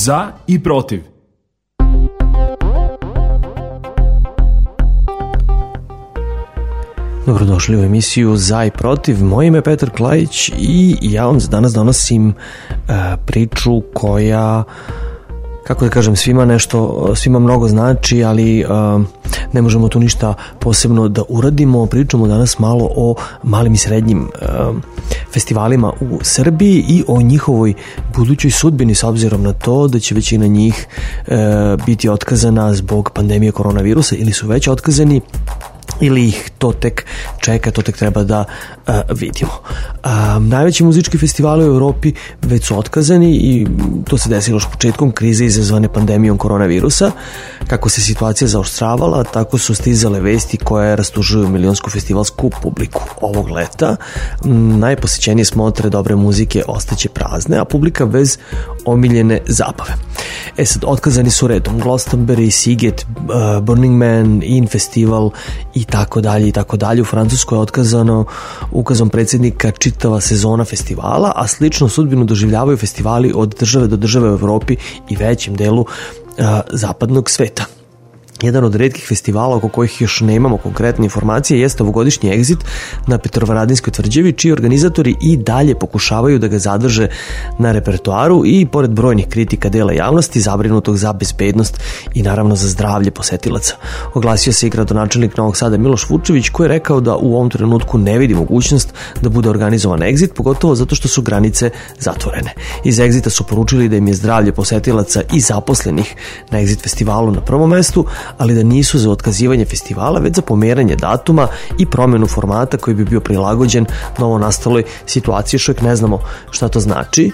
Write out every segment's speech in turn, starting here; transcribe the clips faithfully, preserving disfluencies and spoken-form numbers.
Za i protiv. Dobrodošli u emisiju Za i protiv. Moje ime je Petar Klajić i ja vam danas donosim uh, priču koja, kako da kažem, svima nešto, svima mnogo znači, ali uh, ne možemo tu ništa posebno da uradimo. Pričamo danas malo o malim i srednjim uh, festivalima u Srbiji i o njihovoj budućoj sudbini, s obzirom na to da će većina njih uh, biti otkazana zbog pandemije koronavirusa ili su već otkazani, ili ih to tek čeka, to tek treba da uh, vidimo. Uh, najveći muzički festivali u Evropi već su otkazani i to se desilo još početkom krize izazvane pandemijom koronavirusa. Kako se situacija zaoštravala, tako su stizale vesti koje rastužuju milionsku festivalsku publiku ovog leta. Um, najposećenije smotre dobre muzike ostaće prazne, a publika bez omiljene zabave. E sad, otkazani su redom Glastonbury, Siget, uh, Burning Man, In Festival i tako dalje i tako dalje. U Francuskoj je otkazano ukazom predsjednika čitava sezona festivala, a slično sudbinu doživljavaju festivali od države do države u Evropi i većem delu uh, zapadnog sveta. Jedan od retkih festivala oko kojih još nemamo konkretne informacije jeste ovogodišnji Exit na Petrovaradinskoj tvrđavi, čiji organizatori i dalje pokušavaju da ga zadrže na repertoaru i pored brojnih kritika dela javnosti zabrinutog za bezbednost i naravno za zdravlje posetilaca. Oglasio se i gradonačelnik Novog Sada Miloš Vučević, koji je rekao da u ovom trenutku ne vidi mogućnost da bude organizovan Exit, pogotovo zato što su granice zatvorene. Iz Exita su poručili da im je zdravlje posetilaca i zaposlenih na Exit festivalu na prvom mestu, ali da nisu za otkazivanje festivala, već za pomeranje datuma i promjenu formata koji bi bio prilagođen novo nastaloj situaciji. Još uvijek ne znamo šta to znači.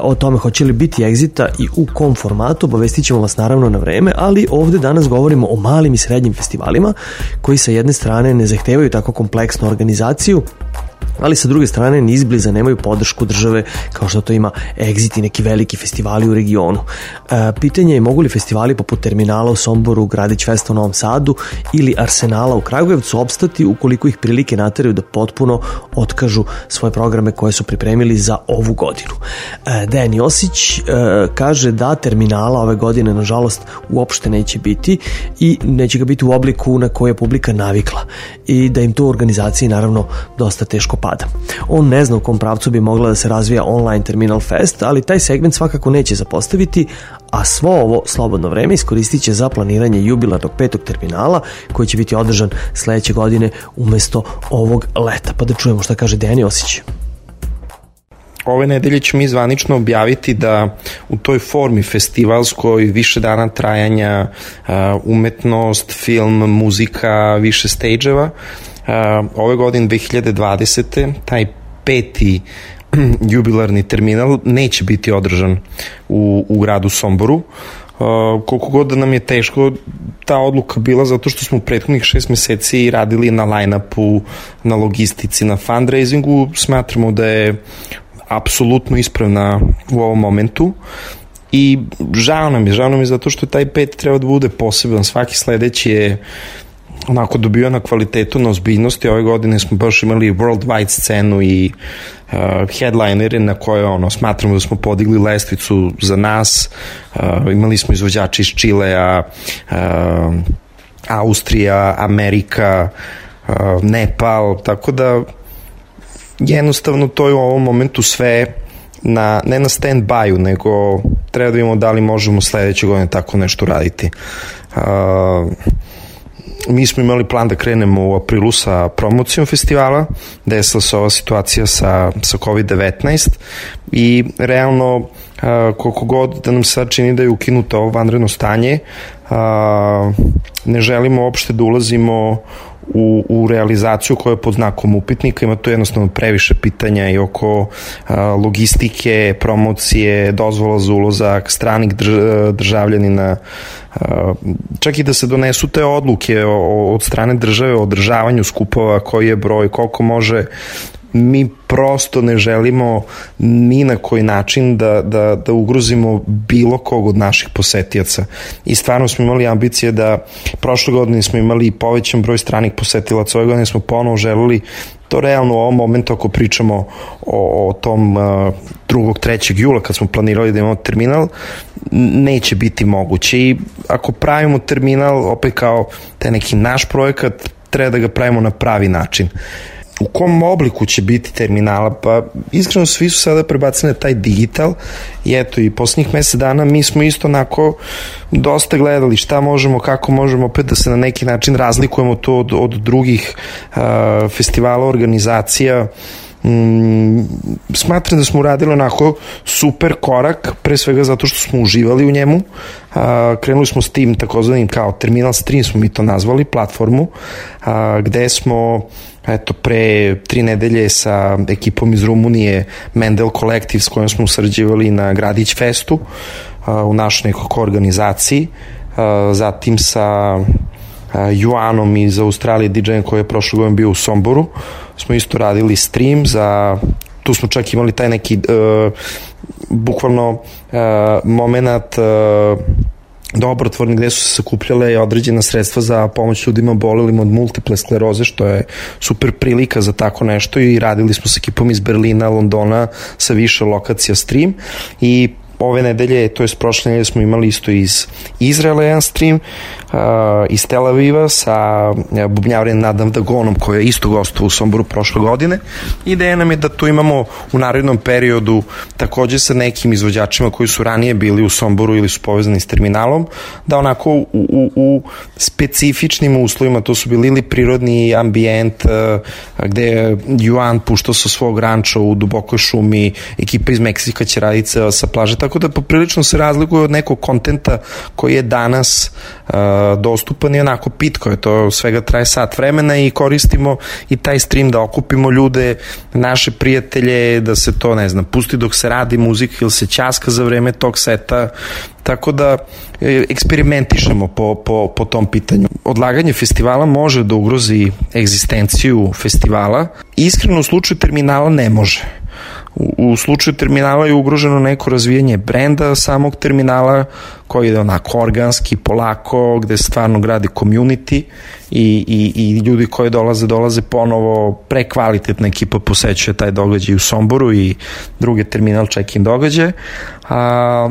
O tome hoće li biti Exita i u kom formatu obavestit ćemo vas naravno na vreme, ali ovdje danas govorimo o malim i srednjim festivalima koji sa jedne strane ne zahtevaju tako kompleksnu organizaciju, ali sa druge strane ni izbliza nemaju podršku države kao što to ima Exit i neki veliki festivali u regionu. E, pitanje je mogu li festivali poput Terminala u Somboru, Gradić Festa u Novom Sadu ili Arsenala u Kragujevcu opstati ukoliko ih prilike nateraju da potpuno otkažu svoje programe koje su pripremili za ovu godinu. E, Dejan Josić e, kaže da Terminala ove godine nažalost uopšte neće biti i neće ga biti u obliku na koje je publika navikla i da im to u organizaciji naravno dosta teško pada. On ne zna u kom pravcu bi mogla da se razvija online Terminal Fest, ali taj segment svakako neće zapostaviti, a svo ovo slobodno vreme iskoristit će za planiranje jubilarnog petog terminala koji će biti održan sledeće godine umesto ovog leta. Pa da čujemo šta kaže Dejan Josić. Ove nedelje ćemo mi zvanično objaviti da u toj formi festivalskoj više dana trajanja, umetnost, film, muzika, više stage-eva, ove godine dve hiljade dvadesete taj peti jubilarni terminal neće biti održan u, u gradu Somboru. Uh, koliko god da nam je teško ta odluka bila, zato što smo u prethodnih šest meseci radili na line-upu, na logistici, na fundraisingu, smatramo da je apsolutno ispravna u ovom momentu i žao nam je, žao nam je zato što taj pet treba da bude poseban. Svaki sledeći je onako dobio na kvalitetu, na ozbiljnosti. Ove godine smo baš imali worldwide scenu i uh, headlinere na koje ono, smatramo da smo podigli lestvicu za nas. Uh, imali smo izvođači iz Čilea, uh, Austrija, Amerika, uh, Nepal, tako da jednostavno to je u ovom momentu sve na, ne na stand-by-u, nego treba da vidimo da li možemo sledeće godine tako nešto raditi. Uh, Mi smo imali plan da krenemo u aprilu sa promocijom festivala, desila se ova situacija sa, sa kovid devetnaest i realno uh, koliko god da nam sad čini da je ukinuto ovo vanredno stanje, uh, ne želimo uopšte da ulazimo u, u realizaciju koja je pod znakom upitnika. Ima tu jednostavno previše pitanja i oko a, logistike, promocije, dozvola za ulazak, stranih drž, državljanina, a, čak i da se donesu te odluke o, o, od strane države o održavanju skupova, koji je broj, koliko može mi prosto ne želimo ni na koji način da, da, da ugrozimo bilo kog od naših posetilaca. I stvarno smo imali ambicije da prošle godine smo imali povećan broj stranih posetilaca, ove godine smo ponovo želeli to realno u ovom momentu ako pričamo o, o tom uh, drugog trećeg jula kad smo planirali da imamo terminal, neće biti moguće. I ako pravimo terminal opet kao taj neki naš projekat, treba da ga pravimo na pravi način. U kom obliku će biti terminala? Pa iskreno svi su sada prebacili na taj digital i eto i poslednjih mesec dana mi smo isto onako dosta gledali šta možemo, kako možemo opet da se na neki način razlikujemo to od, od drugih uh, festivala, organizacija. Mm, smatram da smo uradili onako super korak, pre svega zato što smo uživali u njemu. Uh, krenuli smo s tim takozvanim kao Terminal Stream smo mi to nazvali, platformu, uh, gde smo eto pre tri nedelje sa ekipom iz Rumunije Mendel Collective s kojom smo sarađivali na Gradić Festu uh, u našoj nekoj organizaciji, uh, zatim sa Juanom iz Australije, D J-em koji je prošle godine bio u Somboru, smo isto radili stream za, tu smo čak imali taj neki uh, bukvalno uh, moment uh, dobrotvorni gde su se sakupljale određena sredstva za pomoć ljudima obolelim od multiple skleroze, što je super prilika za tako nešto i radili smo s ekipom iz Berlina, Londona, sa više lokacija stream i ove nedelje, to je prošle nedelje smo imali isto iz Izraela jedan stream, uh, iz Tel Aviva sa bubnjavarjem Nadam Dagonom koji je isto gostovao u Somboru prošle godine. Ideja nam je da tu imamo u narednom periodu takođe sa nekim izvođačima koji su ranije bili u Somboru ili su povezani s terminalom, da onako u, u, u specifičnim uslovima, to su bili ili prirodni ambijent uh, gde je Juan puštao sa svog ranča u dubokoj šumi, ekipa iz Meksika će raditi sa plaže, tako da poprilično se razlikuje od nekog kontenta koji je danas uh, dostupan i onako pitko je, to svega traje sat vremena i koristimo i taj stream da okupimo ljude, naše prijatelje, da se to, ne znam, pusti dok se radi muzika ili se ćaska za vreme tog seta, tako da e, eksperimentišemo po, po, po tom pitanju. Odlaganje festivala može da ugrozi egzistenciju festivala, iskreno u slučaju terminala ne može. U, u slučaju terminala je ugroženo neko razvijanje brenda samog terminala koji je onako organski, polako, gde se stvarno gradi community i, i, i ljudi koji dolaze, dolaze ponovo, prekvalitetna ekipa posećuje taj događaj u Somboru i druge terminal check-in događaje, a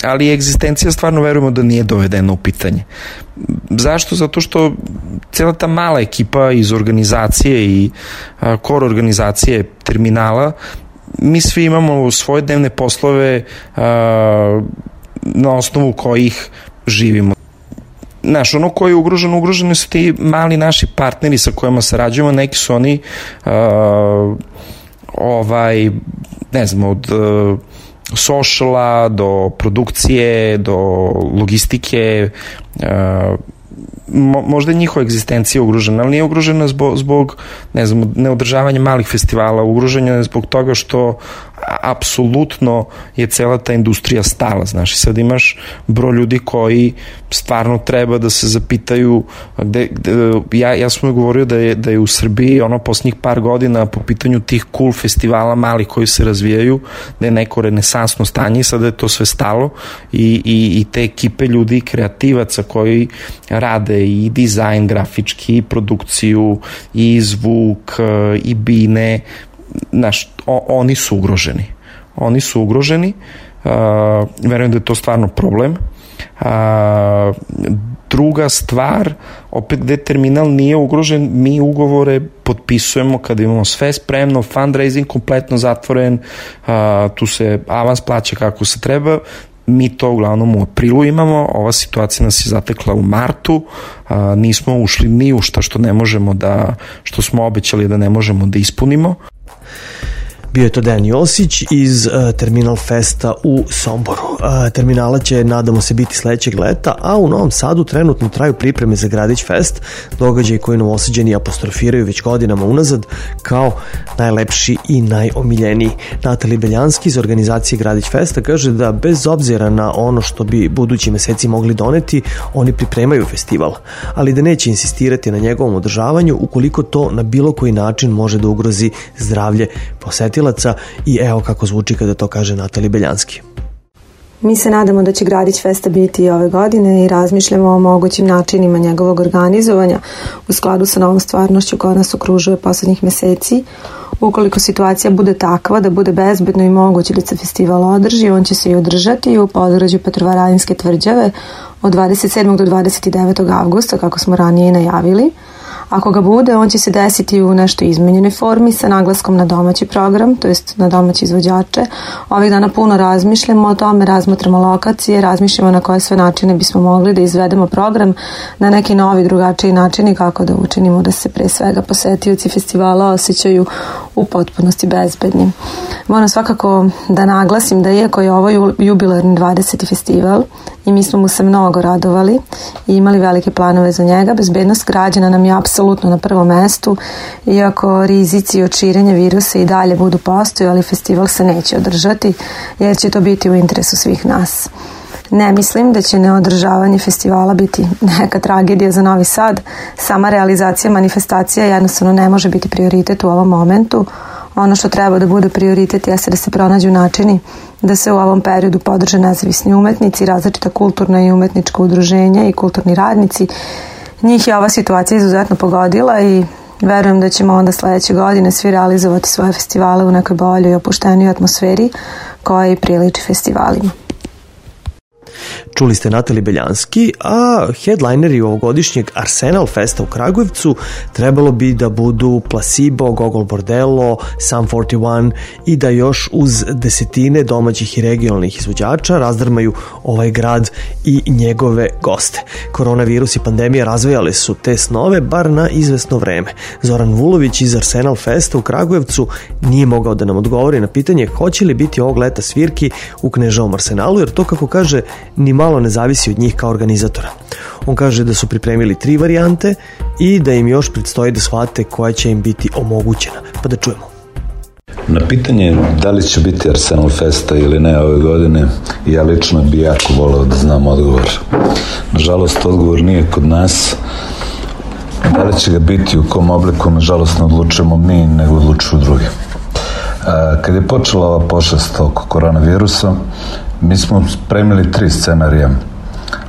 ali egzistencija stvarno verujemo da nije dovedena u pitanje. Zašto? Zato što cijela ta mala ekipa iz organizacije i a, core organizacije terminala, mi svi imamo svoje dnevne poslove a, na osnovu kojih živimo. Znaš, ono koji je ugroženo, ugroženi su ti mali naši partneri sa kojima sarađujemo, neki su oni a, ovaj, ne znam, od a, sociala, do produkcije, do logistike, uh, mo, možda je njihova egzistencija ugrožena, ali nije ugrožena zbog, zbog ne znam, neodržavanja malih festivala, ugrožena je zbog toga što apsolutno je cela ta industrija stala, znaš, i sad imaš broj ljudi koji stvarno treba da se zapitaju gde, gde, ja, ja sam govorio da je, da je u Srbiji ono posljednjih par godina po pitanju tih cool festivala malih koji se razvijaju, da je neko renesansno stanje i sada je to sve stalo i, i, i te ekipe ljudi, kreativaca koji rade i dizajn grafički, i produkciju, i zvuk, i bine, znaš, o, oni su ugroženi. Oni su ugroženi, uh, verujem da je to stvarno problem. Uh, druga stvar, opet gde terminal nije ugrožen, mi ugovore potpisujemo kada imamo sve spremno, fundraising kompletno zatvoren, uh, tu se avans plaća kako se treba, mi to uglavnom u aprilu imamo, ova situacija nas je zatekla u martu, a, nismo ušli ni u šta što ne možemo da, što smo obećali da ne možemo da ispunimo. Bio je to Dejan Josić iz uh, Terminal Festa u Somboru. Uh, terminala će, nadamo se, biti sledećeg leta, a u Novom Sadu trenutno traju pripreme za Gradić Fest, događaj koji Novosađani apostrofiraju već godinama unazad kao najlepši i najomiljeniji. Natalija Beljanski iz organizacije Gradić Festa kaže da bez obzira na ono što bi budući meseci mogli doneti, oni pripremaju festival, ali da neće insistirati na njegovom održavanju ukoliko to na bilo koji način može da ugrozi zdravlje posetilaca i evo kako zvuči kada to kaže Natalija Beljanski. Mi se nadamo da će Gradić Festa biti i ove godine i razmišljamo o mogućim načinima njegovog organizovanja u skladu sa novom stvarnošću koja nas okružuje poslednjih meseci. Ukoliko situacija bude takva da bude bezbedno i moguće da se festival održi, on će se i održati u podgrađu Petrovaradinske tvrđave od dvadeset sedmog do dvadeset devetog avgusta, kako smo ranije najavili. Ako ga bude, on će se desiti u nešto izmenjenoj formi sa naglaskom na domaći program, to jest na domaće izvođače. Ovih dana puno razmišljamo o tome, razmatramo lokacije, razmišljamo na koje sve načine bismo mogli da izvedemo program na neki novi, drugačiji način kako da učinimo da se pre svega posetioci festivala osjećaju u potpunosti bezbednim. Moram svakako da naglasim da iako je ovo jubilarni dvadeseti festival i mi smo mu se mnogo radovali i imali velike planove za njega, bezbednost građana nam je apsolutno na prvom mestu, iako rizici od širenja virusa i dalje budu postojali, festival se neće održati jer će to biti u interesu svih nas. Ne mislim da će neodržavanje festivala biti neka tragedija za Novi Sad. Sama realizacija manifestacija jednostavno ne može biti prioritet u ovom momentu. Ono što treba da bude prioritet jeste da se pronađu načini da se u ovom periodu podrže nezavisni umetnici, različita kulturna i umetnička udruženja i kulturni radnici. Njih je ova situacija izuzetno pogodila i verujem da ćemo onda sledeće godine svi realizovati svoje festivale u nekoj boljoj i opuštenijoj atmosferi koja i priliči festivalima. Čuli ste Nataliju Beljanski, a headlineri ovogodišnjeg Arsenal Festa u Kragujevcu trebalo bi da budu Placebo, Gogol Bordello, Sum četrdeset jedan i da još uz desetine domaćih i regionalnih izvođača razdrmaju ovaj grad i njegove goste. Koronavirus i pandemija razvijale su te snove bar na izvesno vreme. Zoran Vulović iz Arsenal Festa u Kragujevcu nije mogao da nam odgovori na pitanje hoće li biti ovog leta svirki u Kneževom Arsenalu, jer to, kako kaže, ni malo ne zavisi od njih kao organizatora. On kaže da su pripremili tri varijante i da im još predstoji da shvate koja će im biti omogućena. Pa da čujemo. Na pitanje da li će biti Arsenal Festa ili ne ove godine, ja lično bi jako voleo da znam odgovor. Nažalost, odgovor nije kod nas. Da li će ga biti u kom obliku, nažalost, ne odlučujemo mi, nego odlučuju drugi. Kad je počela ova pošast oko koronavirusa, mi smo spremili tri scenarija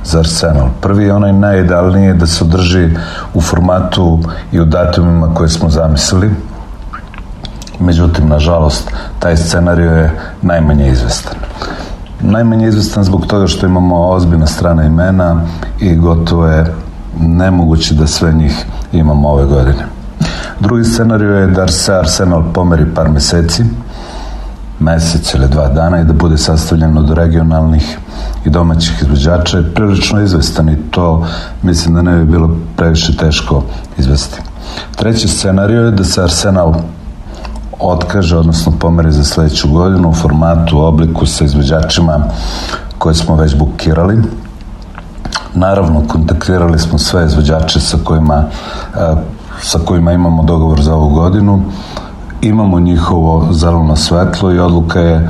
za Arsenal. Prvi je onaj najidealniji da se održi u formatu i u datumima koje smo zamislili. Međutim, nažalost, taj scenarij je najmanje izvestan. Najmanje izvestan zbog toga što imamo ozbiljna strana imena i gotovo je nemoguće da sve njih imamo ove godine. Drugi scenarij je da se Arsenal pomeri par meseci, mesec ili dva dana i da bude sastavljen od regionalnih i domaćih izvođača je prilično izvestan i to mislim da ne bi bilo previše teško izvesti. Treći scenarij je da se Arsenal otkaže, odnosno pomeri za sledeću godinu u formatu, obliku sa izvođačima koje smo već bukirali. Naravno, kontaktirali smo sve izvođače sa kojima, sa kojima imamo dogovor za ovu godinu. Imamo njihovo zeleno svetlo i odluka je,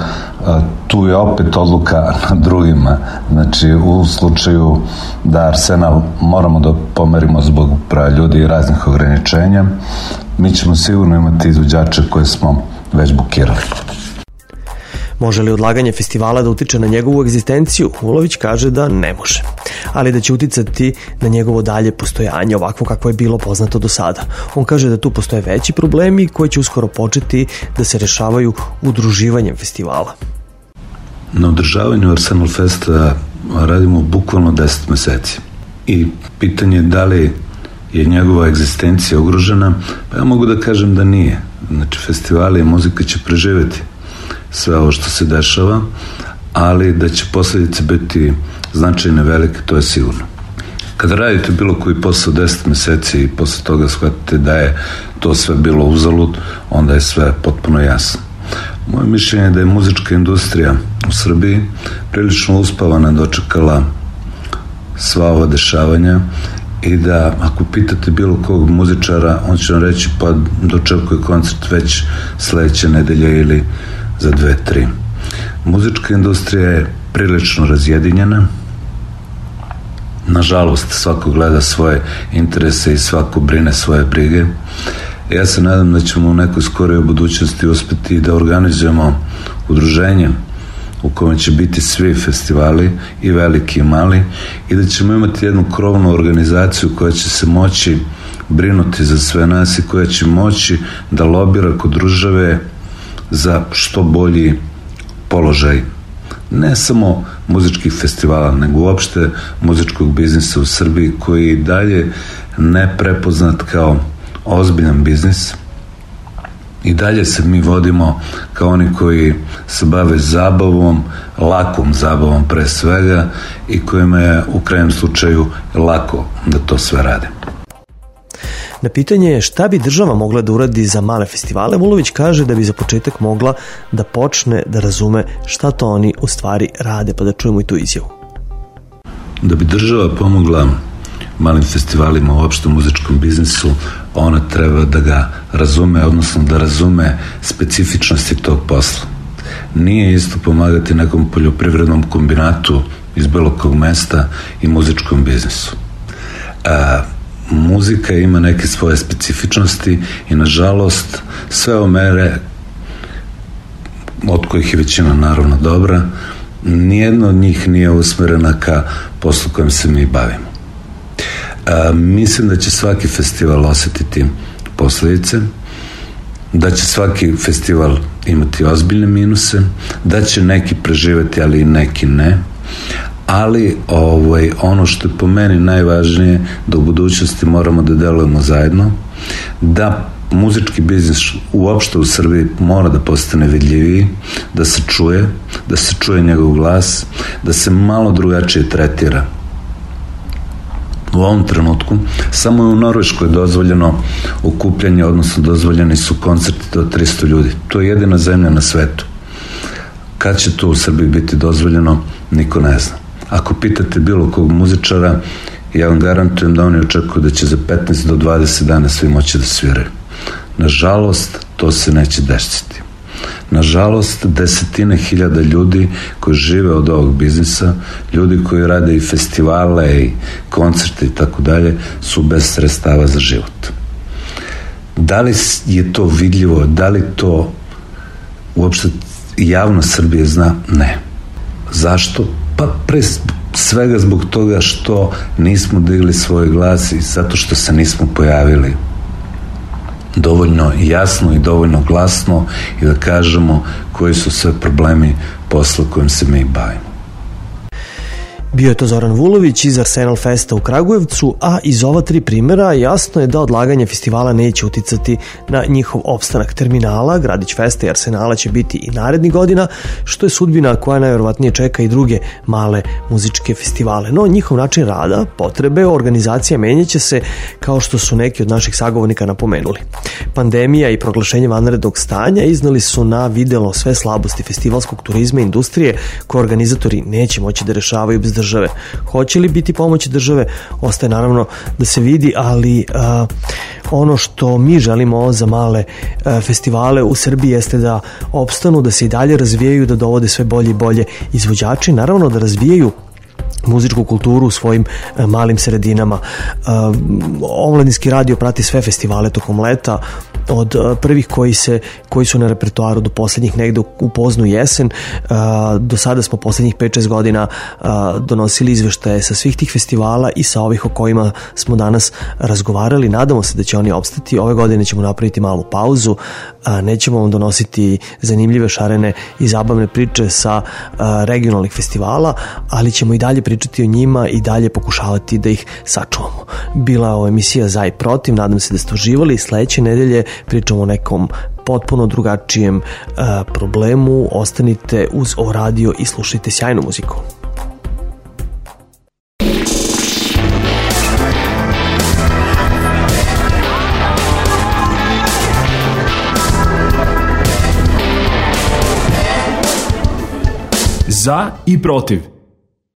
tu je opet odluka na drugima. Znači, u slučaju da Arsenal moramo da pomerimo zbog broja ljudi i raznih ograničenja, mi ćemo sigurno imati izvođače koje smo već bukirali. Može li odlaganje festivala da utiče na njegovu egzistenciju? Vulović kaže da ne može, ali da će uticati na njegovo dalje postojanje ovakvo kako je bilo poznato do sada. On kaže da tu postoje veći problemi koji će uskoro početi da se rešavaju udruživanjem festivala. Na održavanju Arsenal Festa radimo bukvalno deset meseci i pitanje je da li je njegova egzistencija ugrožena, pa ja mogu da kažem da nije. Znači, festivali i muzika će preživeti sve ovo što se dešava, ali da će posledice biti značajne, velike, to je sigurno. Kada radite bilo koji posao deset meseci i posle toga shvatite da je to sve bilo uzalud, onda je sve potpuno jasno. Moje mišljenje je da je muzička industrija u Srbiji prilično uspavana dočekala sva ova dešavanja i da ako pitate bilo kog muzičara, on će vam reći pa dočekuje koncert već sledeće nedelje ili za dve, tri. Muzička industrija je prilično razjedinjena. Nažalost, svako gleda svoje interese i svako brine svoje brige. Ja se nadam da ćemo u nekoj skoroj budućnosti uspeti da organizujemo udruženje u kojem će biti svi festivali, i veliki i mali, i da ćemo imati jednu krovnu organizaciju koja će se moći brinuti za sve nas i koja će moći da lobira kod države za što bolji položaj ne samo muzičkih festivala, nego uopšte muzičkog biznisa u Srbiji, koji i dalje ne prepoznat kao ozbiljan biznis. I dalje se mi vodimo kao oni koji se bave zabavom, lakom zabavom pre svega, i kojima je u krajnjem slučaju lako da to sve rade. Na pitanje je šta bi država mogla da uradi za male festivale, Vulović kaže da bi za početak mogla da počne da razume šta to oni u stvari rade, pa da čujemo i tu izjavu. Da bi država pomogla malim festivalima u opštem muzičkom biznisu, ona treba da ga razume, odnosno da razume specifičnosti tog posla. Nije isto pomagati nekom poljoprivrednom kombinatu iz bilo kog mesta i muzičkom biznisu. A, muzika ima neke svoje specifičnosti i nažalost sve ove mere, od kojih je većina naravno dobra, nijedna od njih nije usmerena ka poslu kojem se mi bavimo. A, mislim da će svaki festival osetiti posledice, da će svaki festival imati ozbiljne minuse, da će neki preživeti, ali i neki ne. Ali ovaj, ono što je po meni najvažnije, da u budućnosti moramo da delujemo zajedno, da muzički biznis uopšte u Srbiji mora da postane vidljiviji, da se čuje, da se čuje njegov glas, da se malo drugačije tretira. U ovom trenutku samo je u Norveškoj dozvoljeno okupljanje, odnosno dozvoljeni su koncerti do tristo ljudi. To je jedina zemlja na svetu. Kad će to u Srbiji biti dozvoljeno, niko ne zna. Ako pitate bilo kog muzičara, ja vam garantujem da oni očekuju da će za petnaest do dvadeset dana svi moći da sviraju. Nažalost, to se neće desiti. Nažalost, desetine hiljada ljudi koji žive od ovog biznisa, ljudi koji rade i festivale i koncerte i tako dalje, su bez sredstava za život. Da li je to vidljivo, da li to uopšte javnost Srbije zna? Ne. Zašto? Pa pre svega zbog toga što nismo digli svoj glas i zato što se nismo pojavili dovoljno jasno i dovoljno glasno i da kažemo koji su sve problemi posla kojim se mi bavimo. Bio je to Zoran Vulović iz Arsenal Festa u Kragujevcu, a iz ova tri primjera jasno je da odlaganje festivala neće uticati na njihov opstanak. Terminala, Gradić Festa i Arsenala će biti i narednih godina, što je sudbina koja najverovatnije čeka i druge male muzičke festivale. No, njihov način rada, potrebe, organizacija menjaće se, kao što su neki od naših sagovornika napomenuli. Pandemija i proglašenje vanrednog stanja iznali su na videlo sve slabosti festivalskog turizma i industrije koje organizatori neće moći da rešavaju bez države. Hoće li biti pomoći države, ostaje naravno da se vidi, ali a, ono što mi želimo za male a, festivale u Srbiji jeste da opstanu, da se i dalje razvijaju, da dovode sve bolje i bolje izvođači, naravno da razvijaju muzičku kulturu u svojim e, malim sredinama. E, Omladinski radio prati sve festivale tokom leta, od e, prvih koji, se, koji su na repertoaru do poslednjih negde u, u poznu jesen. E, do sada smo poslednjih pet šest godina e, donosili izveštaje sa svih tih festivala i sa ovih o kojima smo danas razgovarali. Nadamo se da će oni opstati. Ove godine ćemo napraviti malu pauzu. E, nećemo vam donositi zanimljive, šarene i zabavne priče sa e, regionalnih festivala, ali ćemo i dalje pričati o njima i dalje pokušavati da ih sačuvamo. Bila je ovo emisija Za i protiv, nadam se da ste uživali. Sledeće nedelje pričamo o nekom potpuno drugačijem uh, problemu. Ostanite uz O radio i slušajte sjajnu muziku. za i protiv.